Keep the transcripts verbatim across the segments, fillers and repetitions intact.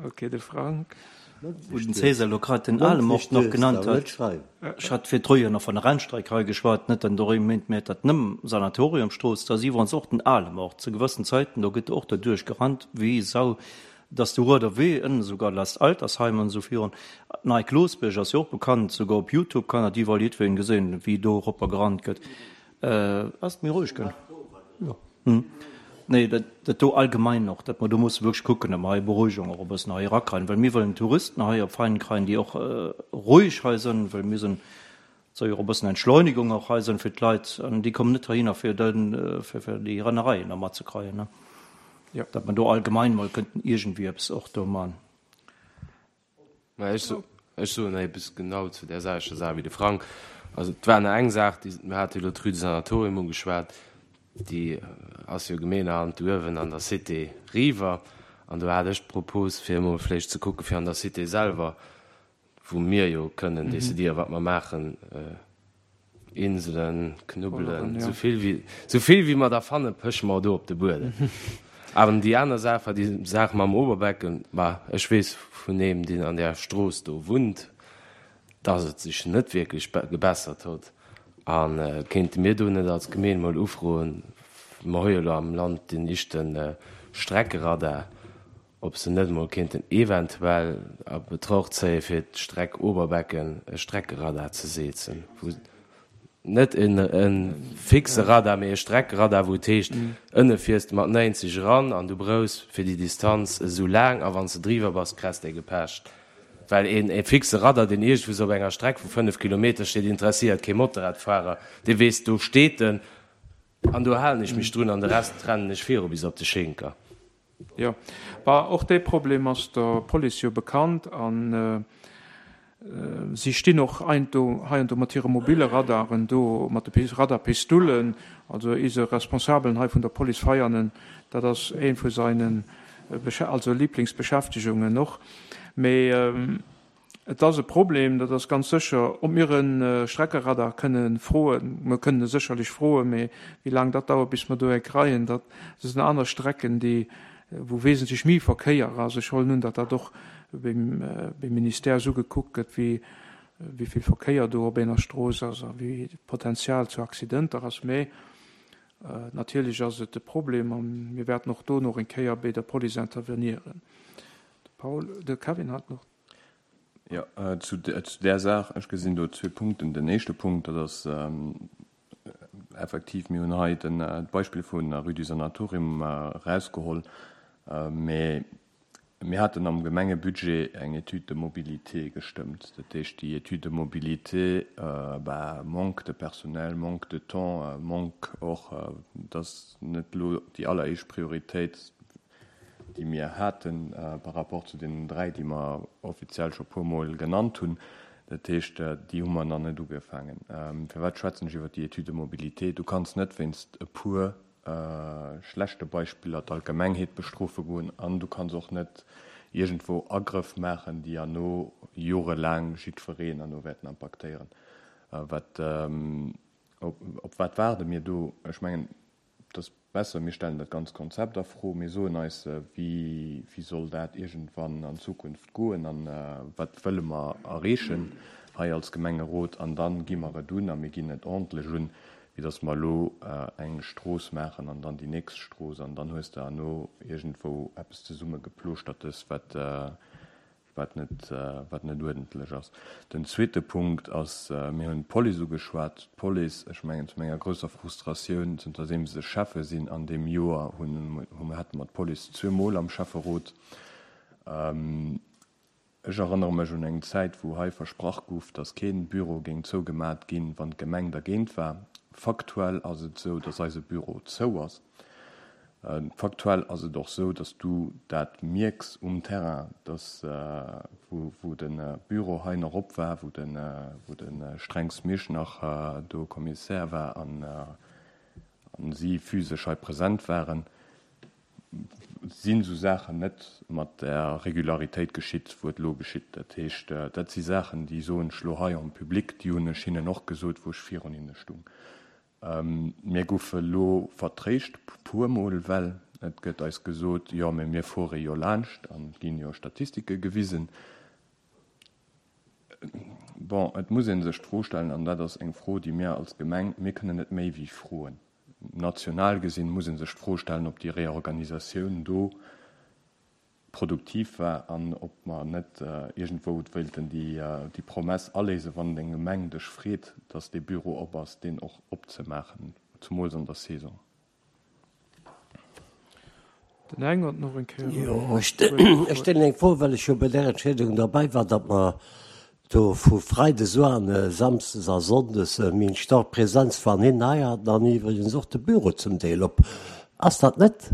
Ok, de Frank. Wou den César elo grad den Alemort nach genannt huet, ech hat virdru jo nach vun der Rennstreck hei geschwat, net an dorém meent mir dat nëmm Sanatoriumstrooss, da si iwwerens och den Alemort zu gewëssen Zäiten, do gëtt och derduerch gerannt wéi Sau, dass de Rueder Wee ënnen esouguer last Altersheim an esou virun. Nei Klosbierg ass jo och bekannt, esouguer op Youtube kann dat iwwerall jiddwereen gesinn, wéi do eropper gerannt gëtt. Ass et méi roueg ginn? Jo. Nee, dat, dat do allgemein och, datt mer do musse wierklech kucken, datt mer hei Beruhigung och e bëssen hei erakreien, well mir wëllen Touristen hei op Veinen kreien, déi och roueg hei sënn, well mir sënn, et soll jo och e bëssen Entschleunigung och hei sënn fir d'Leit, an déi kommen net heihinner fir den, fir, fir déi Rennereien da matzekreien, ne. Jo. Datt mer do allgemein mol kënnten iergendwéi eppes och do man. Mä ech ech soen nach eppes genau zu där selwechter Saach wéi de Frank. Also et war nach eng Saach, déi, mir hate jo elo d'Rue du Sanatorium ugeschwat, déi ass jo Gemeenerhand do uewen an der Cité riwwer. An do hat ech d'Propos, fir emol vläicht ze kucken, fir an der Cité selwer, wou mir jo kënnen décidieren, wat mer maachen, Inselen, Knubbelen, esou vill wéi, esou vill wéi mer der fannen, pëche mer do op de Buedem. Awer déi aner Saach war déi Saach mam Oberbecken. Bah, ech weess vun eem, deen an där Strooss do wunnt, dass et sech net wierklech gebessert huet. A kéinte mir do net als Gemeen emol ufroen, mer hu jo elo am Land deen éischte Streckeradar, ob se net emol kéinten eventuell a Betraucht zéie fir d'Streck Oberbecken e Streckeradar ze seezen, wou net e fixe Radar, mee e Streckeradar, wou et heescht, ënne fiers de mat néinzeg eran an du brauchs fir déi Distanz esou laang a wann s de driwwer bass, kress de gepecht. Well een e fixe Radar, deen iergendwou op enger Streck vu fënnef Kilometer steet, interesséiert kee Motorradfahrer, dee weess, do steet en an do halen ech mech drun an de Rest rennen ech viru bis op de Schinker. Jo, bah, och dee Problem ass der Police jo bekannt a si stinn och heiando mat hire mobile Radaren do, mat de Radarpistoulen. Also eise Responsabelen hei vun der Police Veianen, dat ass ee vu seinen also Lieblingsbeschäftegungen och. Mee Et ass e Problem, dat ass ganz sécher. Ob mir e Streckeradar kënne froen, mer kënnen e sécherlech froen, mee wéi laang dat dauert, bis mer do ee kreien, dat sinn aner Strecken, déi, wou wesentlech méi Verkéier ass. Ech huelen un, datt dat och beim Ministère esou gekuckt gëtt, wéi wéi vill Verkéier do op enger Strooss ass a wéi d'Potenzial zu Accidenter ass. Mee natierlech ass et e Problem a mir wäerten och do nach eng Kéier béi der Police intervenieren. De Paul, de Kevin hat nach. Jo, zu där Saach, ech gesinn do zwee Punkten. Den éischte Punkt, dat ass effektiv, mir hunn hei d'Beispill vun der Rue du Sanatorium erausgeholl, mä mir haten am Gemengebudget eng Étude de mobilité gestëmmt. Dat heescht, déi Étude de mobilité, bah, manque de personnel, manque de temps, manque och, dat ass net elo déi alleréischt Prioritéit, déi mir hate par rapport zu deenen dräi, déi mer offiziell scho puermol genannt hunn. Dat heescht, déi hu mer nach net ugefaangen. Firwat schwätzen ech iwwert déi Étude de mobilité? Du kanns net wéinst e puer schlechte Beispiller d'Allgemengheet bestrofe goen an du kanns och net iergendwou Agrëff maachen, déi herno jorelaang jiddwereen herno wäerten impaktéieren. Wat, op wat waarde mir do? Ech mengen, Et ass besser, mir stellen dat ganz Konzept a Fro. Mir soen eis, wéi soll dat iergendwann an Zukunft goen a wat wëlle mer erreechen hei als Gemengerot. An da gi mer et un a mir ginn et ordentlech un, wéi datt mer elo eng Strooss maachen an dann déi nächst Strooss an dann hues de herno iergendwou eppes zesummegeplooschtertes, wat wat net, wat net uerdentlech ass. Den zweete Punkt ass, mir hunn d'Police ugeschwat. D'Police, ech mengen zu menger grousser Frustratioun, zënterdeem se Schäffe sinn an deem Joer, hunn, hu, hate mer d'Police zweemol am Schäfferot. Ech erënnere mech un eng Zäit, wou hei versprach gouf, datt kee Büro géing zougemat ginn, wann d'Gemeng dergéint war. Faktuell ass et esou, datt eise Büro zou ass. Faktuell ass et och esou, dass du dat mierks um Terrain, dass wou de Büro hei nach op war, wou de wou de Strengs Misch nach do Kommissär war an si physesch hei present waren, sinn esou Saachen net mat där Regularitéit geschitt, wou et elo geschitt. Dat heescht, dat si Saachen, déi soen ech elo hei en public, déi hunn ech hinnen och gesot, wou ech virun hinne stung. Mir goufe lo vertréischt, puermol well, Et gëtt eis gesot, jo, mee mir fuere jo laanscht an et ginn jo Statistike gewisen. Bon, et muss ee sech d'Fro stellen, an dat ass eng Fro, déi mir als Gemeng, mir kënnen net méi wéi froen. National gesinn muss ee sech d'Fro stellen, ob déi Reorganisatioun do produktiv war an ob mer net iergendwou wéilten déi Promess aléisen, wann eng Gemeng dech freet, dass dee Büro op ass, deen och opzemaachen, zumools an der Saison. Den Heng huet nach eng Kéier. Jo, ech stellen eng Fro, well ech jo bei där Entscheedung derbäi war, datt mer do vu Freides un, Samsdes a Sonndes méi eng stark Präsenz van hinnen hei haten an iwwregens och de Büro zum Deel op. Ass dat net?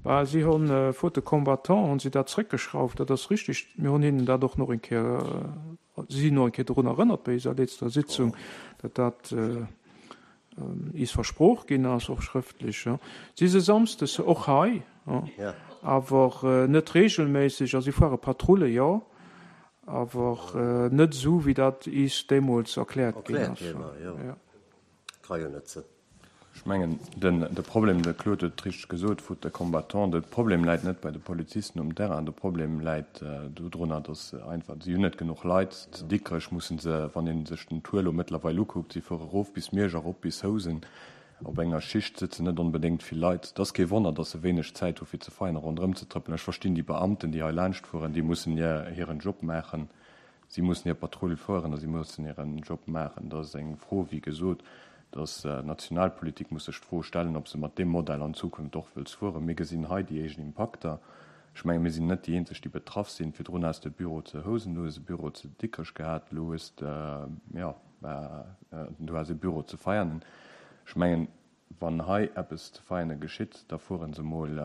Bah, si hunn, faute de combattants, hunn si dat zréckgeschrauft, dat ass richtig. Mir hunn hinnen dat och nach eng Kéier, si sinn nach eng Kéier drun erënnert bei eiser letzter Sitzung, datt dat is versprooch ginn ass, och schrëftlech. Si si samsdes och hei, awer net regelméisseg, a si fuere Patrulle, jo, awer net esou, wéi dat is deemools erkläert ginn ass. Ka jo net sinn. Ech mengen, den, de Problem, de Claude huet et richteg gesot, faute de combattants, de Problem läit net bei de Polizisten um Terrain, de Problem läit dodrunner, datt se einfach, si hunn net genuch Leit. Zu Dikrech musse se, wann ee sech den Tour elo mëttlerweil ukuckt, si fuere erof bis Miersch, erop bis Housen, op enger Schicht sëtzen net onbedéngt vill Leit. Et ass kee Wonner, datt se wéineg Zäit hu fir ze feiern a ronderëm ze trëppelen. Ech verstinn déi Beamten, déi hei laanscht fueren, déi mussen hiren Job maachen. Si mussen hir Patrull fueren a si mussen hiren Job maachen. Dat ass eng Fro, wéi gesot, dass d'Nationalpolitik muss sech d'Fro stellen, ob se mat deem Modell an Zukunft och wëlls fueren. Mir gesinn hei déi éischt Impakter. Ech menge mir sinn net déi eenzeg, déi betraff sinn. Virdrun has de e Büro zu Housen, du hues e Büro zu Dikrech gehat, elo hues de, jo, du has e Büro zu Veianen. Ech mengen, wann hei eppes zu Veianen geschitt, da fuere se emol,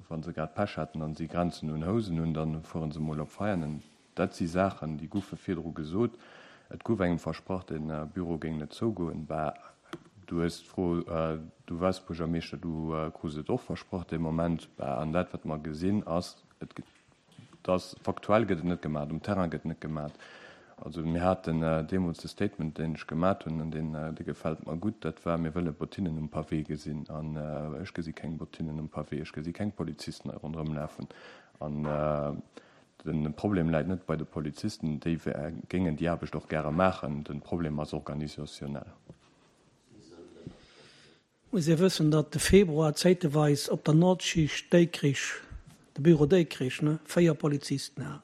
wa se grad Pech haten a si grenzen un Housen un, da fuere se emol op Veianen. Dat si Saachen, déi goufe virdru gesot. Et gouf engem versprach, de Büro géing net zougoen. Bah, du hues d'Fro, du waars Buergermeeschter, du krus et och versprach dee Moment. Bah, an dat, wat mer gesinn, ass, et dass faktuell gëtt et net gemat, um Terrain gëtt net gemat. Also mir haten deemools de Statement, deen ech gemat hunn, an deen, dee gefält mer gutt, dat war, Mir wëlle Bottinen um Pavé gesinn. An ech gesi keng Bottinen um Pavé, ech gesi keng Polizisten hei ronderëm lafen. An De Problem läit net bei de Polizisten, déi géingen déi Aarbecht och gäre maachen. De Problem ass organisationnel. Muss ee wëssen, datt de Februar zäiteweis op der Nordschicht Déikrich, de Büro Déikrich, ne, véier Polizisten hat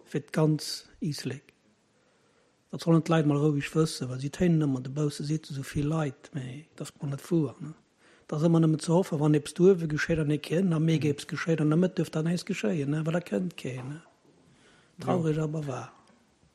fir d'ganz Iislek. Dat sollen d'Leit mol roueg wëssen, well si téinen ëmmer dobausse, seet esou vill Leit, mee et ass guer net wuer. Et ass ëmmer nëmmen ze hoffen, wann eppes do uewe geschéit an ee keen, am Mee géif eppes geschéien, an der Mëtt duerf dann näischt geschéien, well da kënnt keen. Traureg, awer wahr.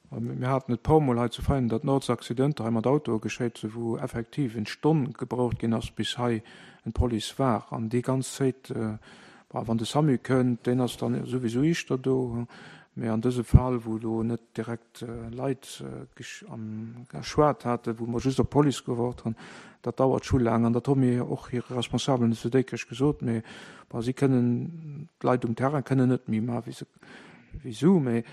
Mir haten et puermol hei zu Veianen, datt Nords Accidenter hei mat Autoe geschéit sinn, wou effektiv eng Stonn gebraucht ginn ass, bis hei en Police war. An déi ganz Zéit, bon, wann de Samu kënnt, deen ass dann souwisou iischter do, Mee an dësem Fall, wou do net direkt Leit geschwat haten, wou mer just op d'Police gewaart hunn, dat dauert scho laang. An dat hu mir och hire Responsabelen zu Déikrech gesot. Mee bon, si kënnen, d'Leit um Terrain kënnen net méi maachen, wéi se wéi sou. Mee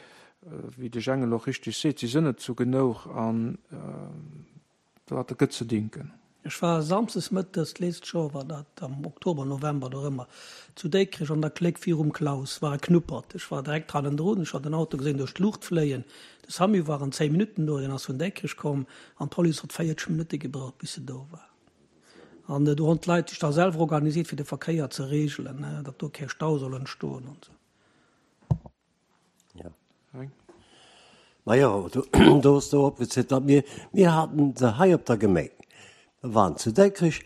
wéi de Jengel och richtig seet, si sinn net zu genouch an Dat gëtt ze dinken. Ech war samsdes mëttes, d'lescht Joer war dat am Oktober, November, dorëmmer, zu Déikrech an der Kléck virum Klaus war e Knuppert. Ech war direkt hannendrun, ech hat den Auto gesinn duerch d'Luucht fléien. De Samu war an zéng Minutten do, deen ass vun Déikrech komm an d'Police hott véierzeg Minutte gebraucht bis se do war. An do honn d'Leit sech da selwer organisiert fir de Verkéier ze regelen, datt do kee Stau soll entstoen an esou. Ja. Majo, do hues de opgezielt, datt mir, mir haten se hei op der Gemeng, mir waren zu Dikrech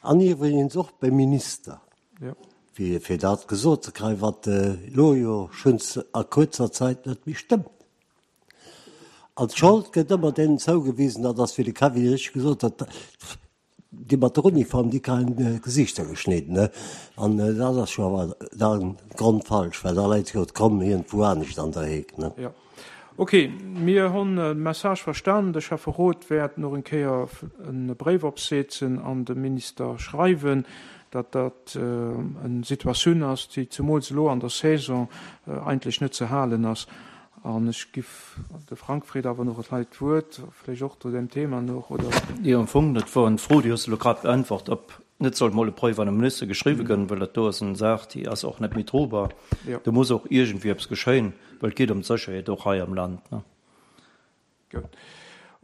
an iwwregens och beim Minister, fir, fir dat gesot ze kréien, wat elo jo schonns a kuerzer Zäit net méi stëmmt. An d'Schold gëtt ëmmer deenen zougewisen, dat ass, wéi de Kevin richteg gesot huet, Déi mat der Uniform, déi kréien d'Gesichter geschnidden, ne? An dat ass jo awer da grondfalsch, well da läit jo d'Kromm iergendwou anescht an der Heek, ne? Jo. Ok, mir honn de Message verstanen. De Schäfferot wäert nach eng Kéier e Bréif opseezen an dem Minister schreiwen, datt dat eng Situatioun ass, déi zemools elo an der Saison eigentlech net ze halen ass. An ech giff, de Frank freet awer nach hei d'Wuert, vläicht och zu deem Thema nach, oder? Jo, am Fong, dat wor eng Fro, déi hues de elo grad beäntwert, ob net soll mol e Bréif an de Minister geschriwwe gënn, well dat do ass eng Saach, déi ass och net méi drobar. Do muss och iergendwéi eppes geschéien, well et geet ëm d'Sécherheet och hei am Land. Gutt.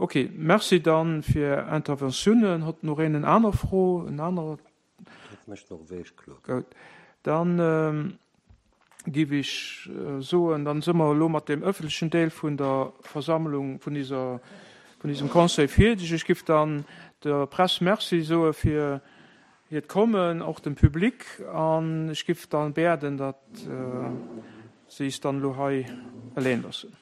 Ok, merci dann fir Interventiounen. Hott nach een en aner Fro, en aner? Dat mécht och wéi ech kloer. Gutt, dann giff ech soen, dann si mer elo mat deem öffentlechen Deel vun der Versammlung, vun dieser, vun diesem Conseil fierdeg. Ech giff dann der Press Merci soe fir hiert Kommen, och dem Public, an ech giff dann bäerden, datt si is dann elo hei eleng loossen.